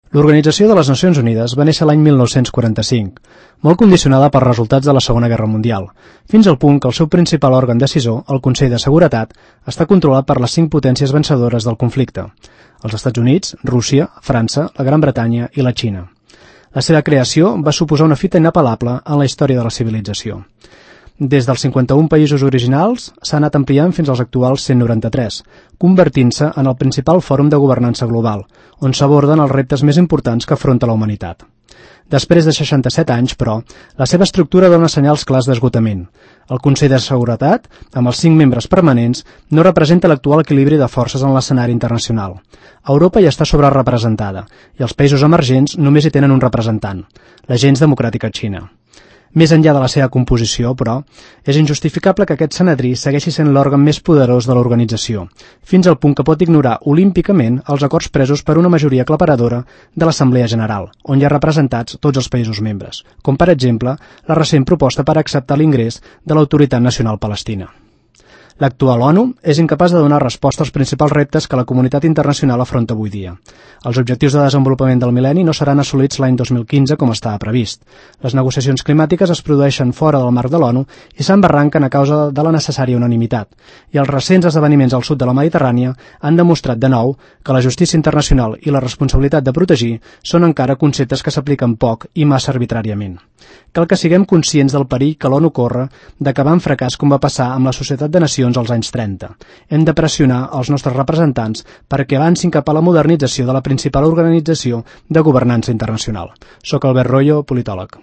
L'Organització de les Nacions Unides va néixer l'any 1945, molt condicionada pels resultats de la Segona Guerra Mundial, fins al punt que el seu principal òrgan decisor, el Consell de Seguretat, està controlat per les 5 potències vencedores del conflicte: els Estats Units, Rússia, França, la Gran Bretanya i la Xina. La seva creació va suposar una fita inapel·lable en la història de la civilització. Des dels 51 països originals s'ha anat ampliant fins als actuals 193, convertint-se en el principal fòrum de governança global, on s'aborden els reptes més importants que afronta la humanitat. Després de 67 anys, però, la seva estructura dona senyals clars d'esgotament. El Consell de Seguretat, amb els 5 membres permanents, no representa l'actual equilibri de forces en l'escenari internacional. Europa hi està sobrerepresentada, i els països emergents només hi tenen un representant, la Gens Democràtica Xina. Més enllà de la seva composició, però, és injustificable que aquest Sanedrí segueixi sent l'òrgan més poderós de l'organització, fins al punt que pot ignorar olímpicament els acords presos per una majoria aclaparadora de l'Assemblea General, on hi ha representats tots els països membres, com per exemple la recent proposta per acceptar l'ingrés de l'Autoritat Nacional Palestina. L'actual ONU és incapaç de donar resposta als principals reptes que la comunitat internacional afronta avui dia. Els objectius de desenvolupament del mil·lenni no seran assolits l'any 2015 com estava previst. Les negociacions climàtiques es produeixen fora del marc de l'ONU i s'embarranquen a causa de la necessària unanimitat. I els recents esdeveniments al sud de la Mediterrània han demostrat de nou que la justícia internacional i la responsabilitat de protegir són encara conceptes que s'apliquen poc i massa arbitràriament. Cal que siguem conscients del perill que l'ONU corre d'acabar en fracàs com va passar amb la Societat de Nacions als anys 30. Hem de pressionar els nostres representants perquè avancin cap a la modernització de la principal organització de governança internacional. Soc Albert Royo, politòleg.